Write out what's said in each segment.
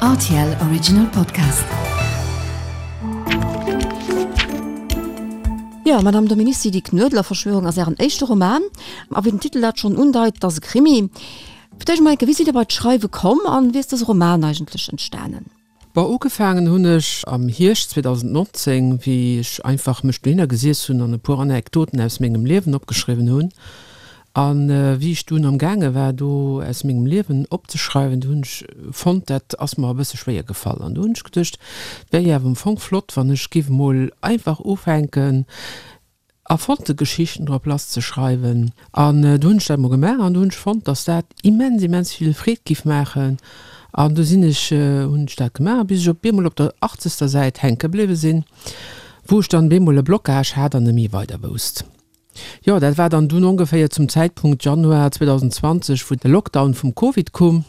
Rtl Original Podcast. Jo, Madame Dominici, Die Knuedlerverschwörung ass Ären éischte Roman. A wéi den Titel dat schonn undeit, et ass e Krimi. Fir d'éischt emol eng Kéier, Wéi sidd Dir bei d'Schreiwe komm an wéi ass dëse Roman eigentlech entstanen? Bon, ugefaangen hunn ech am Hierscht 2019, wéi ech einfach mech dohinner gesiess hunn an e puer Anekdoten aus mengem Liewen opgeschriwwen hunn. A wéi ech dunn am gaange war do aus mengem Liewen opzeschreiwen, do hunn ech fonnt, dat ass mer e bësse schwéier gefall. An do hunn ech geduecht, et wär jo awer am Fong flott, wann ech giff emol einfach ufänken, erfonnte Geschichten drop lass ze schreiwen. An du hunn ech dat mol gemaach an du hunn ech fonnt, dass dat immens, immens vill Freed giff maachen. An du sinn ech, hunn ech dat gemaach, bis ech op eemol op der achtzegster Säit hänke bliwwe sinn, wou ech dann op eemol e Blocage hat an net méi weider wousst. Jo, dat war dann dunn ongeféier zum Zäitpunkt Januar 2020, wou de Lockdown vum Covid koum.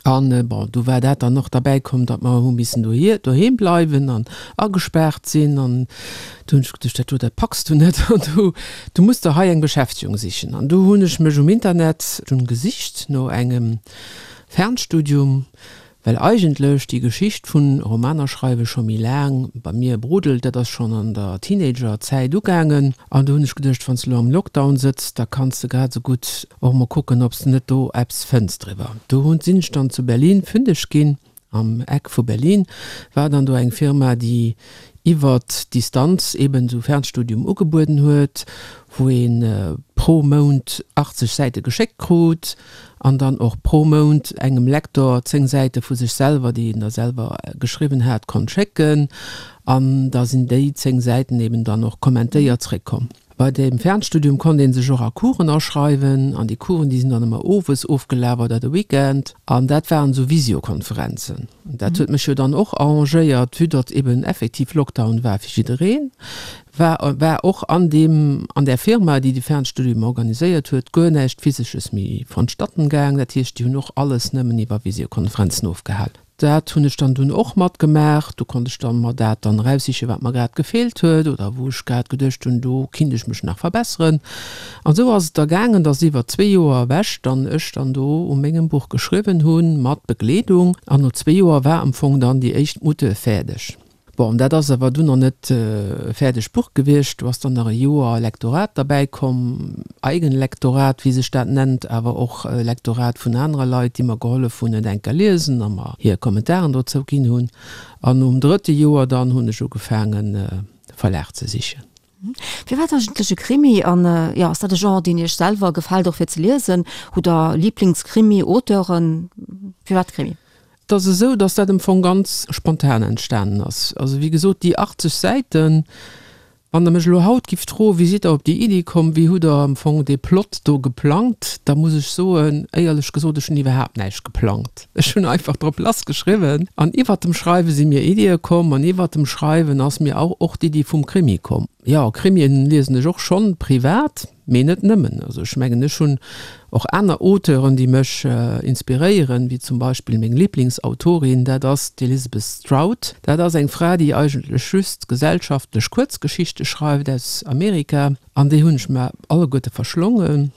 An, bon, du war dat dann och derbäi komm, datt mer hu missen dohier, doheem bleiwen an agespaart sinn. An du hunn ech geduecht, dat do, dat packs du net an du, du muss der hei eng Beschäftegung sichen. An du hunn ech mech um Internet dunn gesicht no engem Fernstudium, well eigentlech déi Geschicht vun Romaner schreiwe scho méi laang bei mir brodelt. Dat ass schonn an der Teenager-Zäit ugaangen. An du hunn ech geduecht, wann s de elo am Lockdown sëtz, da kanns de grad esou gutt Och mol kucken obs de net do eppes fënns driwwer. Do hunn sinn ech dann zu Berlin fündeg ginn, am Eck vu Berlin war dann do eng Firma déi iwwert Distanz eben esou Fernstudium ugebueden huet, wou een pro Mount 80 Säite geschéckt krut an dann och pro Mount engem Lektor 10 Säite vu sech selwer, déi een da selwer geschriwwen hat, konnt schécken an da sinn déi 10 Säiten eben dann och kommentéiert zréckkomm. Bei deem Fernstudium konnt een sech och a Coursen aschreiwen an déi Coursen déi sinn dann ëmmer owes ofgelaf oder de Weekend an dat waren esou Visiokonferenzen. Dat huet mech jo dann och arrangéiert, vue datt eben effektiv Lockdown war fir jiddereen, war war och an deem an där Firma déi de Fernstudium organiséiert huet guer näischt Physesches méi vonstatten gaang. Dat heescht déi hunn och alles nëmmen iwwer Visiokonferenzen ofgehal. Dat hunn ech dann dunn och matgemaach. Do konnt ech dann mer dat dann eraussichen, wat mer grad gefeelt huet oder wou ech grad geduecht hunn, do kinnt ech mech nach verbesseren. An esou ass et da gaangen, dass iwwer zwee Joer ewech dann ech dann do u mengem Buch geschriwwen hunn, mat Begleedung. An no zwee Joer war am Fong dann déi éischt Mutte fäerdeg. Bon, dat ass awer dunn nach net e fäerdegt Buch gewiescht. Do ass dann nach e Joer Lektorat derbäi komm, Eigenlektorat, wéi sech dat nennt, awer och Lektorat vun anere Leit, déi mer gehollef hunn, et enker liesen a mer hir Kommentaren dozou ginn hunn. An nom drëtte Joer dann hunn ech ugefaangen, e Verlag ze sichen. Firwat eigentlech e Krimi? An jo, ass dat e Genre, deen Iech selwer gefält och fir ze liesen? Hutt Der Liiblingskrimi-Auteuren? Firwat Krimi? Et ass esou, datt dat am Fong ganz spontan entstanen ass. Also wéi gesot, déi 80 Säiten, wann Der mech elo haut gifft froen, wéi sidd Der op déi Iddi komm, wéi hutt Der am Fong dee Plot do geplangt, da muss ech soen, éierlech gesot, ech hunn iwwerhaapt näischt geplangt. Ech hunn einfach drop lass geschriwwen an iwwert dem Schreiwe si mir Iddie komm an iwwert dem Schreiwen ass mir auch och d'Iddi vum Krimi komm. Jo, Krimien liesen ech och schonn privat, mee net nëmmen. Also ech mengen, ech hunn och aner Auteuren, déi mech inspiréieren, wéi zum Beispill meng Liblingsautorin, dat ass d'Elizabeth Strout. Dat ass eng Fra, déi eigentlech just gesellschaftlech Kuerzgeschichte schreift aus Amerika an déi hunn ech mer alleguerte verschlongen.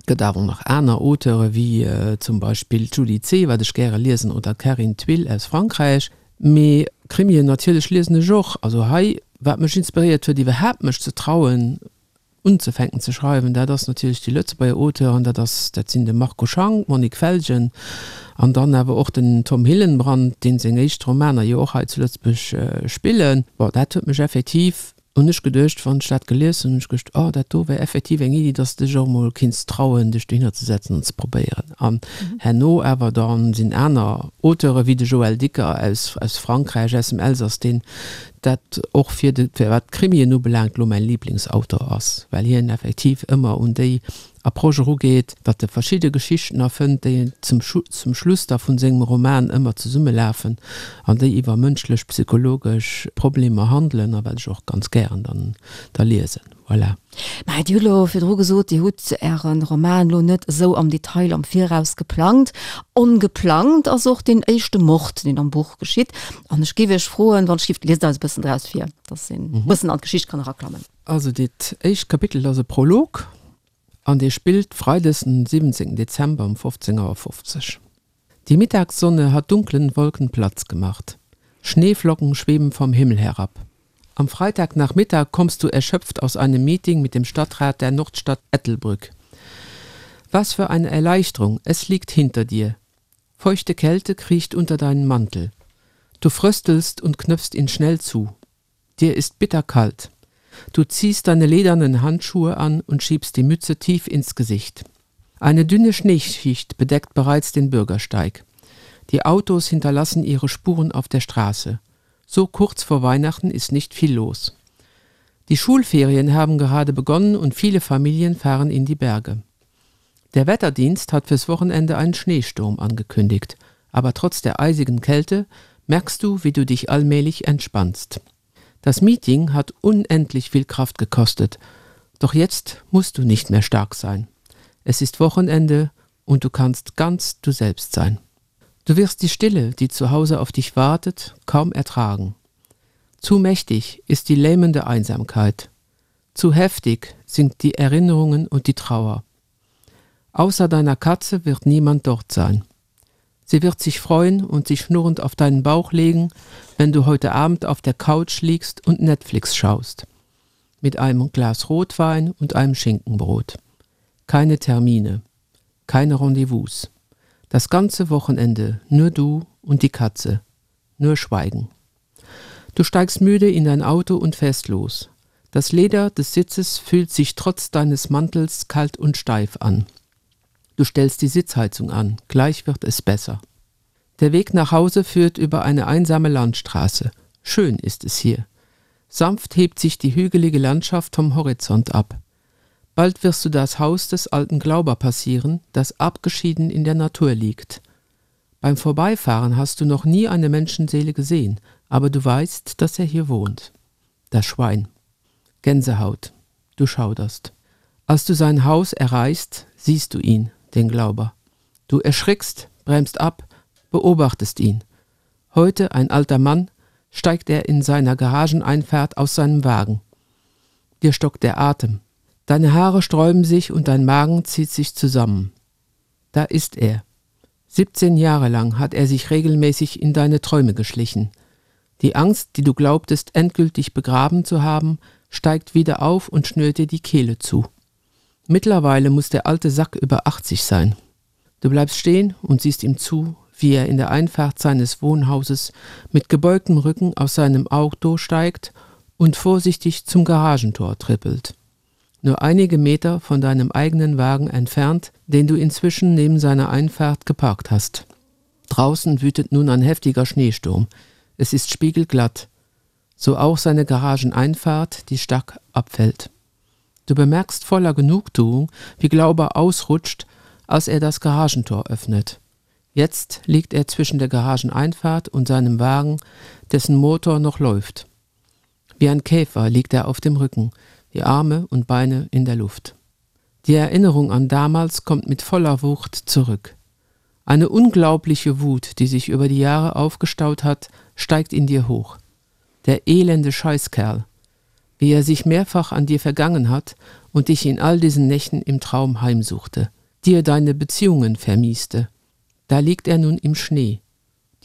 Gëtt awer och nach aner Auteure wéi zum Beispill d'Julie Zeh, wat ech gäre liesen, oder d'Carine Thuil aus Frankräich. Mee Krimien natierlech liesen ech och. Also hei, wat mech inspiréiert huet iwwerhaapt mech ze trauen unzefänken ze schreiwen, dat ass natierlech déi Lëtzebuerger Auteuren, dat ass, dat sinn de Marco Schank, d'Monique Felgen an dann awer och den Tom Hillenbrand, deen seng éischt Romaner jo och hei zu Lëtzebuerg spillen. Bon, dat huet mech effektiv Hunn ech geduecht, wann ech dat gelies hunn, hunn ech geduecht, oh, dat do wär effektiv eng Iddi, dass de dech och emol kinns trauen, dech dohinner ze setzen an ze probéieren. An herno awer da sinn aner Auteure wéi de Joël Dicker aus, aus Frankräich, aus dem Elsass, deen dat och fir de, fir wat d'Krimien ubelaangt, elo mäi Liblingsautor ass, well hien effektiv ëmmer un déi Approche erugeet, datt e verschidde Geschichten erfënnt, déi zum zum Schluss da vun sengem Roman ëmmer zesummelafen an déi iwwer mënschlech, psychologesch Problemer handelen a wat ech och ganz gären dann da liesen. Voilà. Mä Dir hutt elo virdru gesot, Dir hutt Äre Roman elo net esou am Detail am Viraus geplangt. Ongeplangt ass och deen éischte Mord, deen am Buch geschitt. An ech géif Iech froen, wann ech géif, liest eis e bëssen draus vir, datt een e bëssen an d'Geschicht kann eraklammen. Also dat éischt Kapitel ass e Prolog an dee spillt Freides den 17 Dezember um 15 Auer 50. Die Mittagssonne hat dunklen Wolken Platz gemacht. Schneeflocken schweben vom Himmel herab. Am Freitagnachmittag kommst du erschöpft aus einem Meeting mit dem Stadtrat der Nordstadt Ettelbrück. Was für eine Erleichterung, es liegt hinter dir. Feuchte Kälte kriecht unter deinen Mantel. Du fröstelst und knöpfst ihn schnell zu. Dir ist bitterkalt. Du ziehst deine ledernen Handschuhe an und schiebst die Mütze tief ins Gesicht. Eine dünne Schneeschicht bedeckt bereits den Bürgersteig. Die Autos hinterlassen ihre Spuren auf der Straße. So kurz vor Weihnachten ist nicht viel los. Die Schulferien haben gerade begonnen und viele Familien fahren in die Berge. Der Wetterdienst hat fürs Wochenende einen Schneesturm angekündigt, aber trotz der eisigen Kälte merkst du, wie du dich allmählich entspannst. Das Meeting hat unendlich viel Kraft gekostet, doch jetzt musst du nicht mehr stark sein. Es ist Wochenende und du kannst ganz du selbst sein. Du wirst die Stille, die zu Hause auf dich wartet, kaum ertragen. Zu mächtig ist die lähmende Einsamkeit. Zu heftig sind die Erinnerungen und die Trauer. Außer deiner Katze wird niemand dort sein. Sie wird sich freuen und sich schnurrend auf deinen Bauch legen, wenn du heute Abend auf der Couch liegst und Netflix schaust. Mit einem Glas Rotwein und einem Schinkenbrot. Keine Termine, keine Rendezvous. Das ganze Wochenende nur du und die Katze, nur Schweigen. Du steigst müde in dein Auto und fährst los. Das Leder des Sitzes fühlt sich trotz deines Mantels kalt und steif an. Du stellst die Sitzheizung an, gleich wird es besser. Der Weg nach Hause führt über eine einsame Landstraße. Schön ist es hier. Sanft hebt sich die hügelige Landschaft vom Horizont ab. Bald wirst du das Haus des alten Glauber passieren, das abgeschieden in der Natur liegt. Beim Vorbeifahren hast du noch nie eine Menschenseele gesehen, aber du weißt, dass er hier wohnt. Das Schwein. Gänsehaut. Du schauderst. Als du sein Haus erreichst, siehst du ihn, den Glauber. Du erschrickst, bremst ab, beobachtest ihn. Heute ein alter Mann, steigt er in seiner Garageneinfahrt aus seinem Wagen. Dir stockt der Atem. Deine Haare sträuben sich und dein Magen zieht sich zusammen. Da ist er. 17 Jahre lang hat er sich regelmäßig in deine Träume geschlichen. Die Angst, die du glaubtest endgültig begraben zu haben, steigt wieder auf und schnürt dir die Kehle zu. Mittlerweile muss der alte Sack über 80 sein. Du bleibst stehen und siehst ihm zu, wie er in der Einfahrt seines Wohnhauses mit gebeugtem Rücken aus seinem Auto steigt und vorsichtig zum Garagentor trippelt. Nur einige Meter von deinem eigenen Wagen entfernt, den du inzwischen neben seiner Einfahrt geparkt hast. Draußen wütet nun ein heftiger Schneesturm. Es ist spiegelglatt. So auch seine Garageneinfahrt, die stark abfällt. Du bemerkst voller Genugtuung, wie Glauber ausrutscht, als er das Garagentor öffnet. Jetzt liegt er zwischen der Garageneinfahrt und seinem Wagen, dessen Motor noch läuft. Wie ein Käfer liegt er auf dem Rücken, die Arme und Beine in der Luft. Die Erinnerung an damals kommt mit voller Wucht zurück. Eine unglaubliche Wut, die sich über die Jahre aufgestaut hat, steigt in dir hoch. Der elende Scheißkerl, wie er sich mehrfach an dir vergangen hat und dich in all diesen Nächten im Traum heimsuchte, dir deine Beziehungen vermieste. Da liegt er nun im Schnee,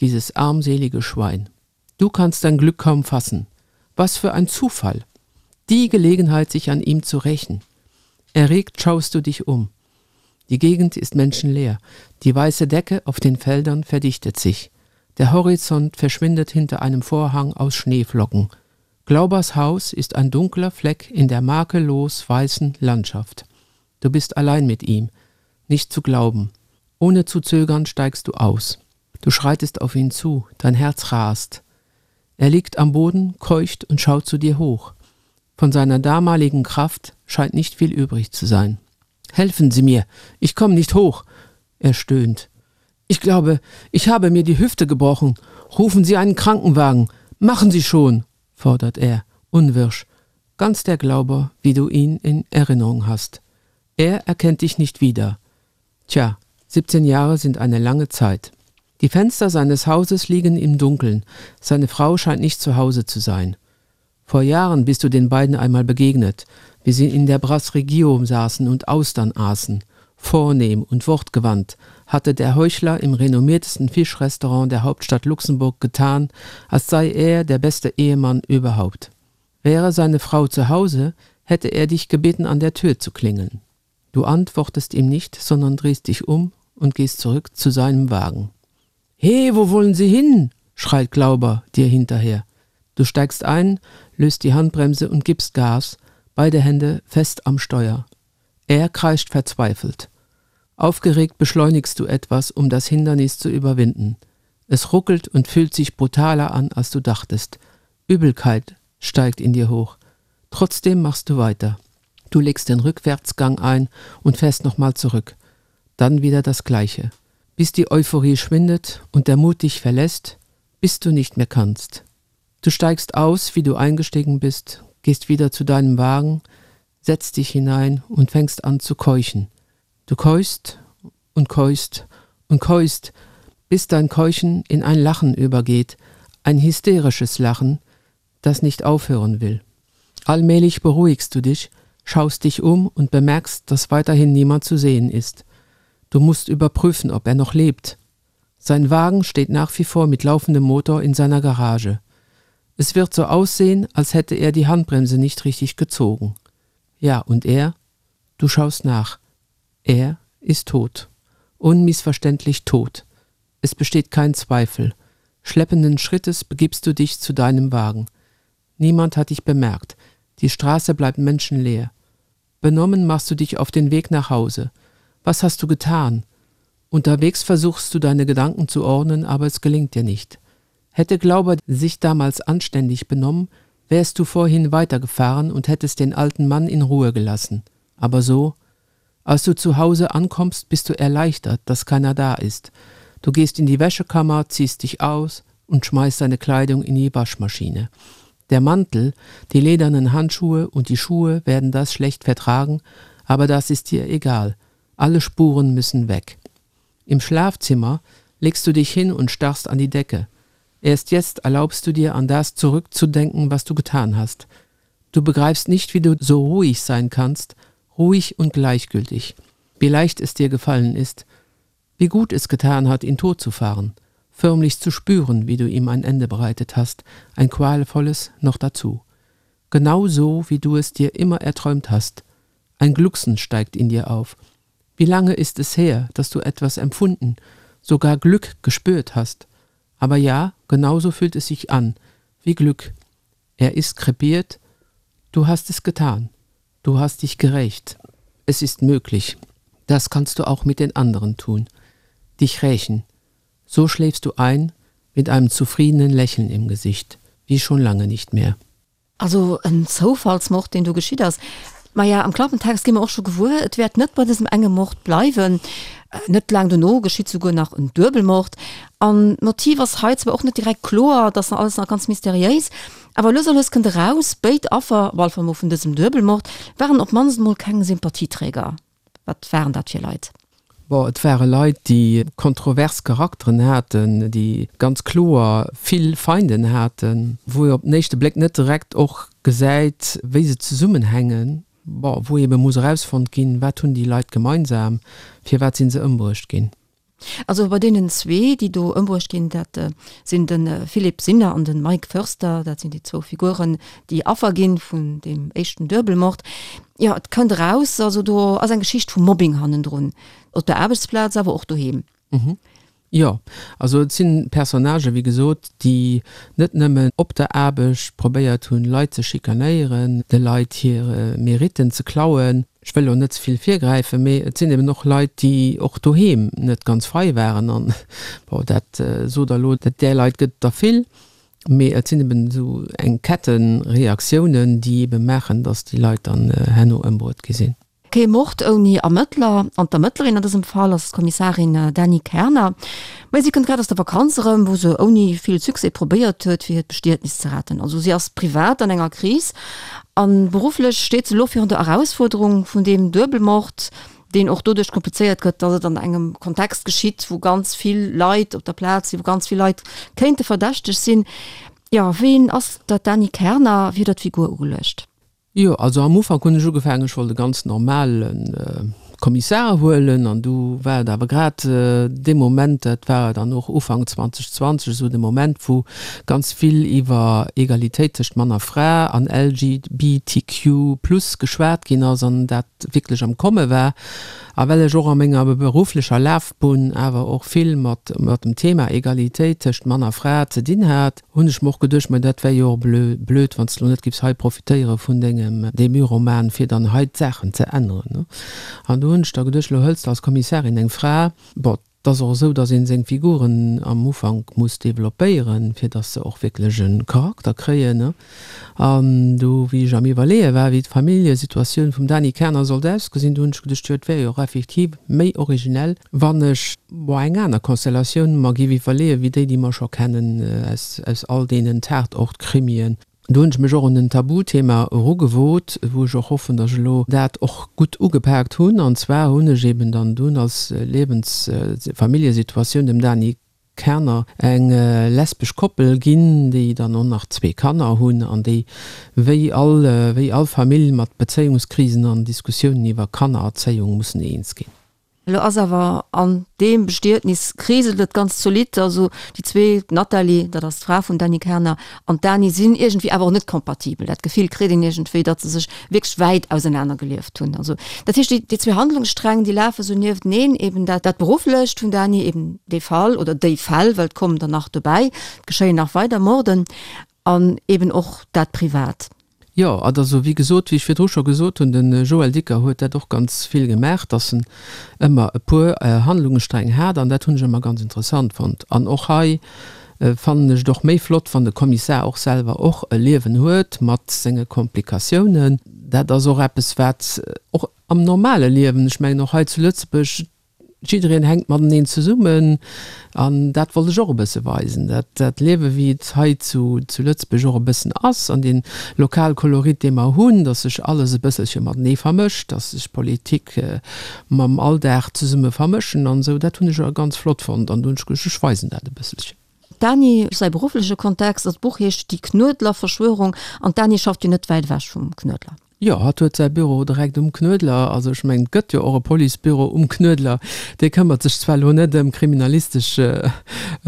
dieses armselige Schwein. Du kannst dein Glück kaum fassen. Was für ein Zufall! Die Gelegenheit, sich an ihm zu rächen. Erregt schaust du dich um. Die Gegend ist menschenleer. Die weiße Decke auf den Feldern verdichtet sich. Der Horizont verschwindet hinter einem Vorhang aus Schneeflocken. Glaubers Haus ist ein dunkler Fleck in der makellos weißen Landschaft. Du bist allein mit ihm, nicht zu glauben. Ohne zu zögern steigst du aus. Du schreitest auf ihn zu, dein Herz rast. Er liegt am Boden, keucht und schaut zu dir hoch. Von seiner damaligen Kraft scheint nicht viel übrig zu sein. Helfen Sie mir, ich komme nicht hoch, er stöhnt. Ich glaube, ich habe mir die Hüfte gebrochen. Rufen Sie einen Krankenwagen. Machen Sie schon, fordert er, unwirsch, ganz der Glauber, wie du ihn in Erinnerung hast. Er erkennt dich nicht wieder. Tja, 17 Jahre sind eine lange Zeit. Die Fenster seines Hauses liegen im Dunkeln. Seine Frau scheint nicht zu Hause zu sein. Vor Jahren bist du den beiden einmal begegnet, wie sie in der Brasserie Guillaume saßen und Austern aßen. Vornehm und wortgewandt. Hatte der Heuchler im renommiertesten Fischrestaurant der Hauptstadt Luxemburg getan, als sei er der beste Ehemann überhaupt. Wäre seine Frau zu Hause, hätte er dich gebeten, an der Tür zu klingeln. Du antwortest ihm nicht, sondern drehst dich um und gehst zurück zu seinem Wagen. He, wo wollen Sie hin? schreit Glauber dir hinterher. Du steigst ein, löst die Handbremse und gibst Gas, beide Hände fest am Steuer. Er kreischt verzweifelt. Aufgeregt beschleunigst du etwas, um das Hindernis zu überwinden. Es ruckelt und fühlt sich brutaler an, als du dachtest. Übelkeit steigt in dir hoch. Trotzdem machst du weiter. Du legst den Rückwärtsgang ein und fährst nochmal zurück. Dann wieder das Gleiche. Bis die Euphorie schwindet und der Mut dich verlässt, bis du nicht mehr kannst. Du steigst aus, wie du eingestiegen bist, gehst wieder zu deinem Wagen, setzt dich hinein und fängst an zu keuchen. Du keuchst und keuchst und keuchst, bis dein Keuchen in ein Lachen übergeht, ein hysterisches Lachen, das nicht aufhören will. Allmählich beruhigst du dich, schaust dich um und bemerkst, dass weiterhin niemand zu sehen ist. Du musst überprüfen, ob er noch lebt. Sein Wagen steht nach wie vor mit laufendem Motor in seiner Garage. Es wird so aussehen, als hätte er die Handbremse nicht richtig gezogen. Ja, und er? Du schaust nach. Er ist tot. Unmissverständlich tot. Es besteht kein Zweifel. Schleppenden Schrittes begibst du dich zu deinem Wagen. Niemand hat dich bemerkt. Die Straße bleibt menschenleer. Benommen machst du dich auf den Weg nach Hause. Was hast du getan? Unterwegs versuchst du deine Gedanken zu ordnen, aber es gelingt dir nicht. Hätte Glauber sich damals anständig benommen, wärst du vorhin weitergefahren und hättest den alten Mann in Ruhe gelassen. Aber so, als du zu Hause ankommst, bist du erleichtert, dass keiner da ist. Du gehst in die Wäschekammer, ziehst dich aus und schmeißt deine Kleidung in die Waschmaschine. Der Mantel, die ledernen Handschuhe und die Schuhe werden das schlecht vertragen, aber das ist dir egal. Alle Spuren müssen weg. Im Schlafzimmer legst du dich hin und starrst an die Decke. Erst jetzt erlaubst du dir, an das zurückzudenken, was du getan hast. Du begreifst nicht, wie du so ruhig sein kannst, ruhig und gleichgültig. Wie leicht es dir gefallen ist, wie gut es getan hat, ihn tot zu fahren, förmlich zu spüren, wie du ihm ein Ende bereitet hast, ein qualvolles noch dazu. Genau so, wie du es dir immer erträumt hast. Ein Glucksen steigt in dir auf. Wie lange ist es her, dass du etwas empfunden, sogar Glück gespürt hast? Aber ja, genauso fühlt es sich an, wie Glück. Er ist krepiert, du hast es getan, du hast dich gerächt. Es ist möglich. Das kannst du auch mit den anderen tun. Dich rächen. So schläfst du ein mit einem zufriedenen Lächeln im Gesicht, wie schon lange nicht mehr. Also en Zoufallsmord, deen do geschitt ass. Maja, am Klappentext gi mer och scho gewuer, et wäert net bei dësem enge Mord bleiwen. Net laang dono geschitt souguer nach en Duebelmord. An d'Motiv ass hei zwar och net direkt kloer, et ass nach alles nach ganz mysteriéis, awer lues a lues kënnt eraus, béid Affer, op alle Fall mol vun dësem Duebelmord, waren op d'mannst mol keng Sympathieträger. Wat waren dat fir Leit? Bon, et ware Leit, déi kontrovers Charakteren haten, déi ganz kloer vill Feinden haten, wou ee op den éischte Bléck net direkt och gesäit, wéi se zesummenhängen. Bon, wou eebe muss erausfonnt ginn, wat hunn déi Leit gemeinsam, firwat si se ëmbruecht ginn. Also bei deenen zwee, déi do ëmbruecht ginn, dat sinn de Philippe Sinner an de Mike Foerster, dat sinn déi zwou Figuren, déi Affer gi vun deem éischten Duebelmord. Jo, et kënnt eraus, also do ass eng Geschicht vu Mobbing hannendrun, op der Aarbechtsplaz, awer och doheem. Jo, also et si Personnagen, wéi gesot, déi net nëmmen op der Aarbecht probéiert hunn, Leit ze schikanéieren, de Leit hir Meritten ze klauen, Ech wëll elo net ze vill virgräifen, mee et sinn eben och Leit, déi och doheem net ganz frei waren. An, bon, dat sot Der elo, dat där Leit gëtt et der vill, mee et sinn eben esou eng Kettenreaktiounen, déi ebe maachen, datt déi Leit dann herno ëmbruet gi sinn. Kee Mord ouni Ermëttler, an d'Ermëttlerin an dësem Fall ass d'Kommissarin Dany Kerner. Mä si kënnt grad aus der Vakanz erëm, wou se ouni vill Succès probéiert huet, fir hiert Bestietnis ze retten. Also si ass privat an enger Kris a berufflech steet se elo virun der Erausfuerderung vun deem Duebelmord, deen och doduerch komplizéiert gëtt, datt et an engem Kontext geschitt, wou ganz vill Leit op der Plaz sinn, wou ganz vill Leit kéinte verdächteg sinn. Jo, ween ass dat Dany Kerner? Wéi huet Der d'Figur ugeluecht? Jo, also am Ufank hunn ech ugefaangen, ech wollt e ganz normale. Kommissar huelen. An du war et awer grad dee Moment, dat war dann och Ufank 2020, esou de Moment, wou ganz vill iwwer Egalitéit tëscht Mann a Fra an LGBTQ plus geschwat ginn ass an dat wierklech am Komme war. A well ech och a menger berufflecher Lafbunn awer och vill mat dem Thema Egalitéit tëscht Mann a Fra ze dinn hat, hunn ech mer och geduecht, ma dat wär jo och blöd, wann s de lo net giffs hei profitéiere vun dengem Debut-Roman, fir dann hei d'Saachen ze änneren. An do hunn ech da geduecht, lo hëls de als Kommissarin eng Fra, bon, 't ass och esou, dass een seng Figuren am Ufank muss developpéieren, fir dass se och wierklech e Charakter kréien. An du, wéi ech am Iwwerleeë war, wéi d'Familljesituatioun vum Dany Kerner sollt ausgesinn, du hunn ech geduecht, jo, et wär jo och effektiv méi originell, wann ech, bon, eng aner Konstellatioun mer géif iwwerleeën, wéi déi, déi mer scho kennen aus, aus all deenen Tatort-Krimien. Do hunn ech mech och un en Tabuthema erugewot, wou ech och hoffen, datt ech elo dat och gutt ugepaakt hunn. An zwar hunn ech eben dann dunn als Liewens-, Familljesituatioun dem Dany Kerner eng lesbesch Koppel ginn, déi dann och nach zwee Kanner hunn an déi wéi all, wéi all Famill mat Bezéiungskrisen an Diskussiounen iwwer Kannererzéiung mussen eens ginn. Elo ass awer an deem Bestietnis kriselt et ganz zolidd. Also déi zwee, d'Nathalie, dat ass d'Fra vum Dany Kerner, an d'Dany sinn iergendwéi awer och net kompatibel. Dat Gefill kritt een iergendwéi, datt se sech wierklech wäit ausenaner gelieft hunn. Also dat heescht, déi zwee Handlungssträng, déi lafe sou niefteneen, eben dat dat Berufflecht vum Dany, eben dee Fall oder déi Fäll, well et kommen der nach dobäi, et geschéien nach weider Morden, an eben och dat Privat. Jo, et ass wéi gesot, wéi ech virdru scho gesot hunn, de Joël Dicker huet dat och ganz vill gemaach, datt en ëmmer e puer Handlungssträng hat an dat hunn ech ëmmer ganz interessant fonnt. An och hei fannen ech et och méi flott, wann de Kommissar och selwer och e Liewen huet mat senge Komplikatiounen. Dat ass och eppes, wat och am normale Liewen, ech mengen och hei zu Lëtzebuerg, Jiddereen hänkt mateneen zesummen an dat wollt ech och e bësse weisen, dat dat Liewe wéi et hei zu zu Lëtzebuerg och e bëssen ass an dee Lokalkolorit dee mer hunn, datt sech alles e bësselche matenee vermëscht, datt sech Politik mam Alldag zesumme vermëschen an esou, dat hunn ech ganz flott fonnt an do hunn ech geduecht, ech weisen dat e bësselchen. D'Dani, säi beruffleche Kontext, also d'Buch heescht Die Knuedler-Verschwörung an d'Dani schafft jo net wäit ewech vum Knuedler. Jo, hatt huet säi Büro direkt um Knuedler. Also ech mengen, et gëtt jo och e Policebüro um Knuedler. Dee këmmert sech zwar elo net ëm kriminalistesch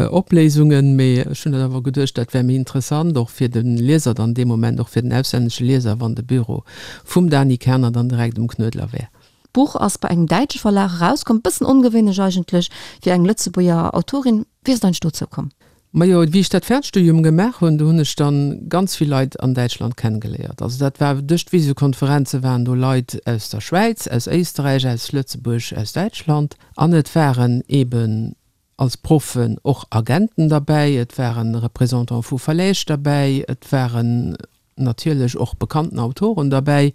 Opléisungen, mee ech hunn awer geduecht, dat wär méi interessant och fir de Lieser dann dee Moment, och fir den auslännesche Lieser, wann de Büro vum Dany Kerner dann direkt um Knuedler wär. D'Buch ass bei engem däitsche Verlag erauskomm, bëssen ongewéinlech eigentlech fir eng Lëtzebuerger Autorin. Wéi ass et eigentlech dozou komm? Majo, wéi ech dat Fernstudium gemaach hunn, do hunn ech dann ganz vill Leit an Däitschland kennengeléiert. Also dat war duerch d'Visiokonferenze waren do Leit aus der Schwäiz, aus Éisterräich, aus Lëtzebuerg, aus Däitschland an et waren eben als Proffen och Agenten derbäi, et waren Représentants vu Verläg derbäi, et waren natierlech och bekannten Autoren derbäi,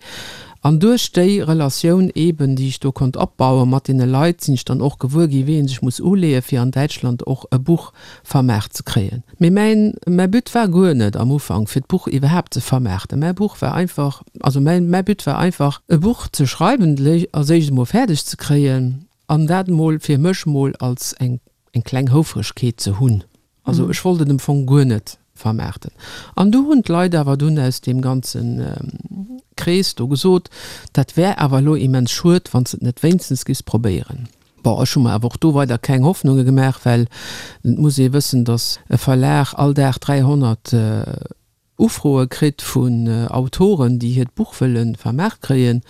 an duerch déi Relatioun eeben, déi ech do konnt opbaue mat deene Leit, sinn ech dann och gewuer gi wéi ee sech muss uleeë fir an Däitschland och e Buch vermaart ze kréien. Mee mäin, mäi But war guer net am Ufank fir d'Buch iwwerhaapt ze vermaarten. Mäi Buch war einfach, also mäin, mäi But war einfach e Buch ze schreiwen, als éischt emol fäerdeg ze kréien an dat emol fir mech emol als eng, eng kleng Houfregkeet ze hunn. Also ech wollt et am Fong guer net vermaarten. An du hunn d'Leit awer dunn aus deem ganze Krees do gesot, dat wär awer elo immens schued, wann s de et net wéinstens giffs probéieren. Bon, ech hu mer awer och do weider keng Hoffnunge gemaach, well et muss ee wëssen, datt e Verlag all Dag 300 Ufroe kritt vun Autoren, déi hiert Buch wëlle vermaart kréien.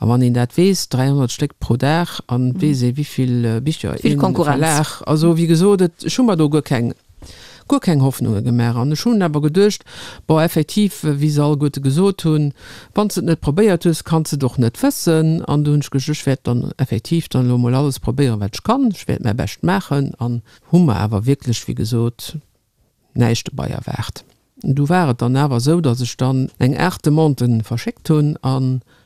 A wann een dat weess, 300 Stéck pro Dag, an et weess ee wéivill Bicher ee Verlag, also wéi gesot, et, ech hu mer do guer keng, guer keng Hoffnunge gemaach. An ech hunn awer geduecht, bon, effektiv, wéi se alleguerte gesot hunn, wann s de et net probéiert hues, kanns de et och net wëssen. An du hunn ech geduecht, ech wäert dann effektiv dann elo emol alles probéieren, wat ech kann, ech wäert mäi Bescht maachen. An hu mer awer wierklech, wéi gesot, näischt dobei erwaart. Du war et dann awer esou, datt ech dann eng 8 Demanden verschéckt hunn a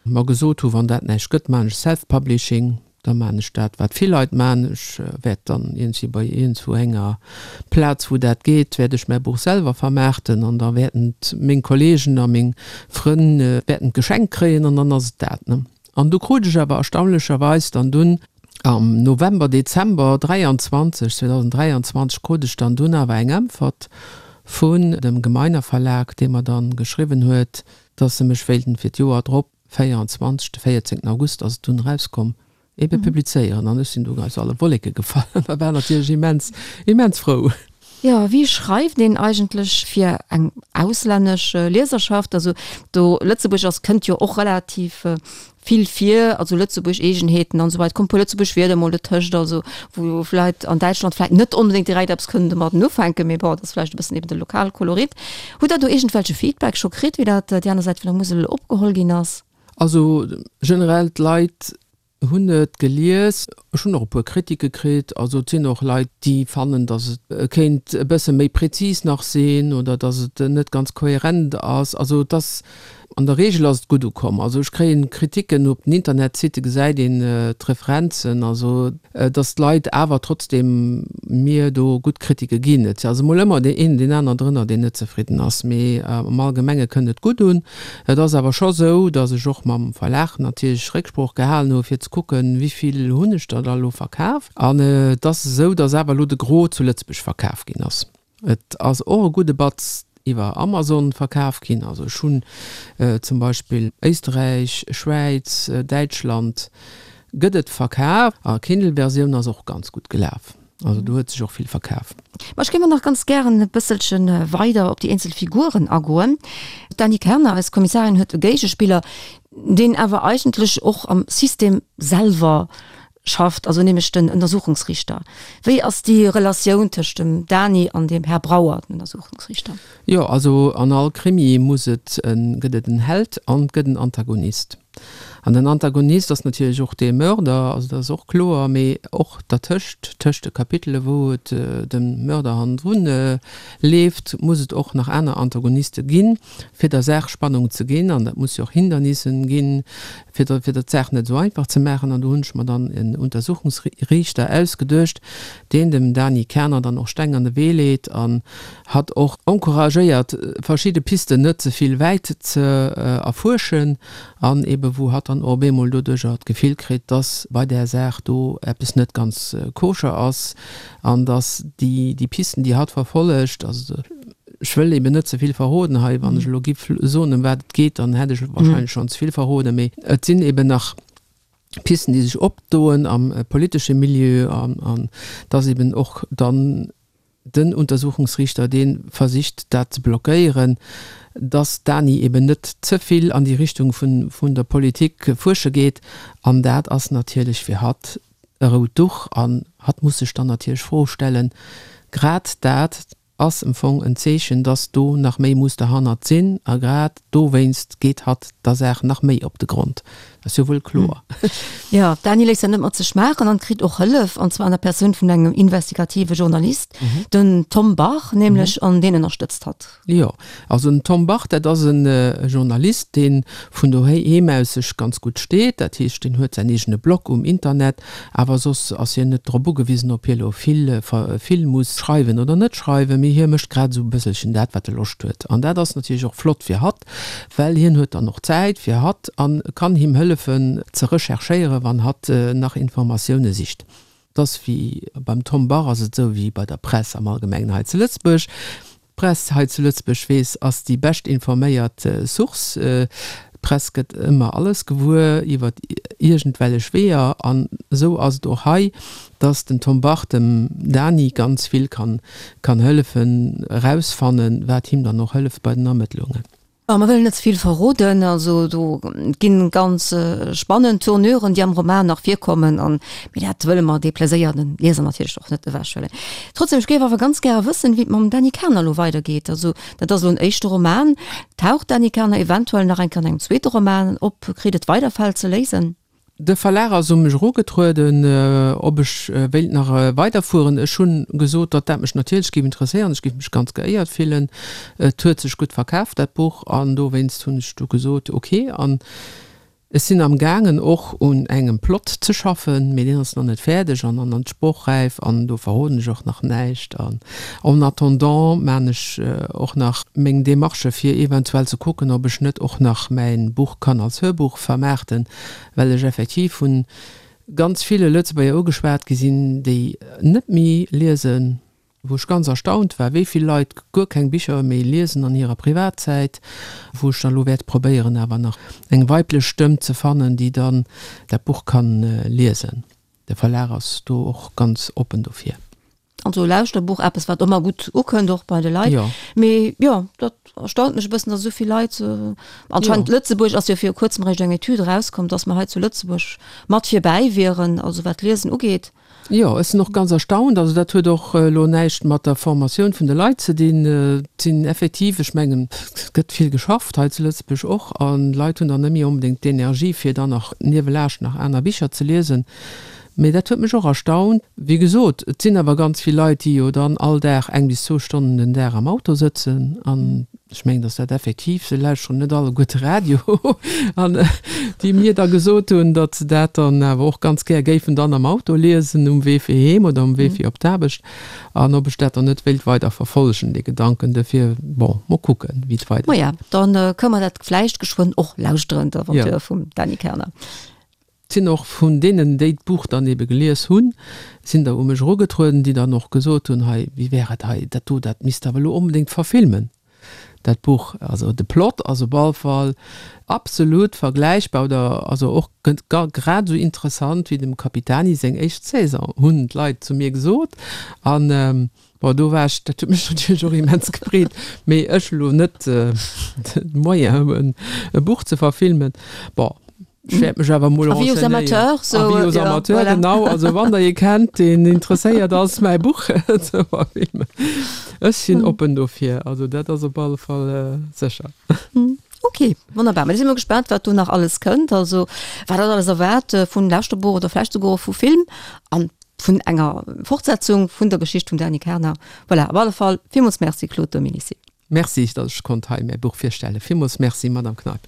mer gesot hu, wann dat näischt gëtt, maan ech Self-Publishing, da maan ech dat wat vill Leit maan, ech wäert dann iergendwéi bei iergendwou enger Plaz wou dat geet, wäert ech mäi Buch selwer vermaarten an da wäerten et meng Kollegen a meng Frënn wäerten et geschenkt kréien an dann ass et dat. An du krut ech awer erstaunlecherweis dann dunn am November, Dezember 23, 2023 krut ech dann dunn awer eng Äntwert vun dem Gemeiner Verlag, dee mer dann geschriwwen huet, dass se mech wéilten fir d'Joer drop, 24, de 14 August ass et dunn erauskomm. Ebe publizéieren. An ech sinn do aus alle Wolleke gefall a war natierlech immens, immens frou. Jo, wéi schreift een eigentlech fir eng auslännesch Lieserschaft? Also do Lëtzebuerg ass, kënnt jo och relativ vill vir, also Lëtzebuerg Eegenheeten an esou weider, kommen e puer Lëtzebuerg Wierder mol dotëscht, also wou vläit an Däitschland vläit net onbedéngt direkt eppes kënnen domadden ufänken, mee bon, dat ass vläicht e bëssen eben de Lokalkolorit. Hutt Der do iergendwelche Feedback scho kritt, wéi dat déi aner Säit vun der Musel opgeholl ginn ass? Also generell d'Leit hunn et gelies. Ech hunn och e puer Kritike kritt. Also et sinn och Leit, déi fannen, datt et kéint e bësse méi prezis nach sinn oder datt et net ganz kohärent ass. Also et ass, an der Reegel ass et gutt ukomm. Also ech kréien Kritiken op den Internetsitte gesäit een d'Referenzen, also datt d'Leit awer trotzdeem mir do gutt Kritike ginn. Et ass emol ëmmer deen een, deen aner drënner, deen net zefridden ass, mee am Allgemenge kënnt et gutt un. Et ass awer scho sou, datt ech och mam Verlag natierlech Récksprooch gehalen hu fir ze kucken, wéi vill hunn ech der da elo verkaf. An et ass esou, datt awer elo de Gros zu Lëtzebuerg verkaf ginn ass. Et ass och e gudde Batz iwwer Amazon verkaf ginn. Also ech hunn zum Beispill Éisterräich, Schwäiz, Däitschland gëtt et verkaf. A Kindle-Versioun ass och ganz gutt gelaf. Also do huet sech och vill verkaf. Ma ech géif och nach ganz gären e bësselche weider op déi eenzel Figuren agoen. D'Dany Kerner, eis Kommissarin, huet e Géigespiller, deen awer eigentlech och am System selwer schafft, also nämlech den Untersuchungsriichter. Wéi ass déi Relatioun tëscht dem Dany an dem Här Brauer, dem Untersuchungsriichter? Jo, also an all Krimi muss et en, gëtt et en Held an et gëtt en Antagonist. An den Antagonist ass natierlech och dee Mörder, also dat ass och kloer, mee och dertëscht, tëscht de Kapitele wou et dem Mörder hannendrun leeft, muss et och nach aner Antagoniste ginn, fir der Saach Spannung ze ginn. An dat muss jo och Hindernissen ginn, fir der fir der d'Saach net esou einfach ze maachen. An do hunn ech mer dann en Untersuchungsriichter ausgeduecht, deen dem Dany Kerner dann och Steng an de Wee leet an hatt och encouragéiert, verschidde Pisten net ze vill wäit ze erfuerschen an ebe wou hatt dann och op eemol doduercher d'Gefill kritt, dass bei där Saach do eppes net ganz koscher ass an dass déi déi Pisten, déi hatt verfollegt, also ech wëll eben net ze vill verroden hei, wann ech elo giff soen, ëm wat et geet, dann hätt ech wahrscheinlech schonn ze vill verroden, mee et sinn eben nach Pisten, déi sech opdoen am politesche Milieu an an dass eben och dann Den Untersuchungsriichter, dee versicht dat ze blockéieren, datt d'Dani eben net ze vill an déi Richtung vun der Politik fuersche geet. An dat ass natierlech fir hatt e rout Duch an hatt muss sech dann natierlech Froe stellen. Grad dat ass em Fong en Zeechen, datt do nach méi muss derhannert sinn a grad dowéinst geet hatt der Saach nach méi op de Grond. Ass jo wuel kloer. Jo, d'Dani léisst dat net mat sech maachen an kritt och Hëllef, an zwar an der Persoun vun engem investigative Journalist, den Tom Bach nämlech, an deen ënnerstëtzt hatt. Jo, also den Tom Bach, dat ass e Journalist, dee vun doheem aus sech ganz gutt steet. Dat heescht, deen huet säin eegene Blog um Internet, awer soss ass hien net drop ugewisen, ob hie lo vill, vill muss schreiwen oder net schreiwen, mee hie mécht grad esou e bësselchen dat, wat e Loscht huet. An dat ass natierlech och flott fir hatt, well hien huet dann och Zäit fir hatt an kann him hëllefen ze recherchéieren, wann hatt nach Informatioune sicht. Et ass wéi beim Tom Bach ass et esou wéi bei der Press am Allgemengen hei zu Lëtzebuerg. D'Press hei zu Lëtzebuerg weess ass déi bescht informéiert Source. D'Press gëtt ëmmer alles gewuer iwwer iergendwellech Weeër an esou ass et och hei, dass den Tom Bach dem Dany ganz vill kann kann hëllefen erausfannen, wat him dann och hëlleft bei den Ermëttlungen. Bon, mer wëllen net ze vill verroden, also do ginn ganz spannend Tournuren, déi am Roman nach virkommen an, mee dat wëlle mer de Pleséier den Lieser natierlech och net ewechhuelen. Trotzdem, ech géif awer ganz gäre wëssen, wéi et mam Dany Kerner elo weidergeet. Also dat ass elo en éischte Roman. Taucht d'Dany Kerner eventuell nach eng Kéier an engem zweete Roman op? Kritt et weider Fäll ze léisen? De Verlag ass u mech erugetrueden, ob ech wéilt nach weiderfueren. Ech hunn gesot, datt dat mech natierlech géif interesséieren. Ech géif mech ganz geéiert fillen. Et huet sech gutt verkaf, dat Buch, an dowéinst hunn ech du gesot, ok. An ech sinn am gaangen och un engem Plot ze schaffen, mee deen ass nach net fäerdeg an an sprochräif an do verroden ech och nach näischt. An en attendant maan ech och nach meng Demarchë fir eventuell ze kucken, ob ech net och nach mäin Buch kann als Hörbuch vermaarten, well ech effektiv vun ganz ville Lëtzebuerger ugeschwat gi sinn, déi net méi liesen. Wou ech ganz erstaunt war, wéi vill Leit guer keng Bicher méi liesen an hirer Privatzäit, wou ech da lo wäert probéieren awer nach eng weiblech Stëmm ze fannen, déi dann dat Buch kann liesen. De Verlag ass do och ganz oppen dofir. Also Lauschterbuch, eppes wat ëmmer gutt ukënnt och bei de Leit. Jo. Mee jo, dat erstaunt mech e bëssen, datt esou vill Leit, anscheinend Lëtzebuerg ass jo viru kuerzem eréischt eng Etüd erauskomm, datt mer hei zu Lëtzebuerg mat virbäi wieren, also wat d'Liesen ugeet. Jo, ech sinn och ganz erstaunt. Also dat huet och elo näischt mat der Formatioun vun de Leit ze dinn. Et sinn effektiv, ech mengen, et gëtt vill geschafft hei zu Lëtzebuerg och, an d'Leit hunn dann net méi onbedéngt d'Energie, fir dann nach niewelaanscht nach aner Bicher ze liesen. Mee dat huet mech och erstaunt. Wéi gesot, et sinn awer ganz vill Leit, déi jo dann all Dag eng bis zwou Stonnen den Dag am Auto sëtzen. An ech mengen, datt dat effektiv, se lauschteren net alleguerte Radio, an déi mir da gesot hunn, datt se dat dann awer och ganz gär géifen dann am Auto liesen, um Wee fir heem oder um Wee fir op d'Aarbecht. An ob ech dat dann net wéilt weider verfollegen, dee Gedanken. Dofir, bon, mol kucken, wéi et weidergeet. Maja, da kënne mer dat vläicht geschwënn och lauschteren, d'Aventure vum Dany Kerner. Et sinn och vun deenen, déi d'Buch dann ebe gelies hunn, sinn der u mech erugetrueden, déi dann och gesot hunn, hei, wéi wär et hei, dat do, dat misst Der awer elo onbedéngt verfilmen, dat Buch. Also de Plot ass op all Fall absolut vergläichbar oder also och grad esou interessant wéi dem Capitani seng éischt Saison, hunn d'Leit zu mir gesot. An Bon, do war ech, dat huet mech natierlech och immens gefreet, mee ech elo net de Moyen hunn, e Buch ze verfilmen. Bon, ech wäert mech awer mol Avis aux renseignéieren. amateurs, sou, Avis aux ja, amateurs, voilà. genau. Also wann der ee kennt, deen interesséiert ass, mäi Buch ze verfilmen, ech sinn oppen dofir. Also dat ass op alle Fall sécher. Ok, wonnerbar. Mä da si mer gespaant, wat do nach alles kënnt. Also wat dat alles erwaart vun Lauschterbuch oder vläicht souguer och vu Film an vun enger Fortsetzung vun der Geschicht vum Dany Kerner. Voilà, op alle Fall villmools Merci Claude Dominicy. Merci, datt ech konnt hei mäi Buch virstellen. Villmools Merci, Madame Kneip.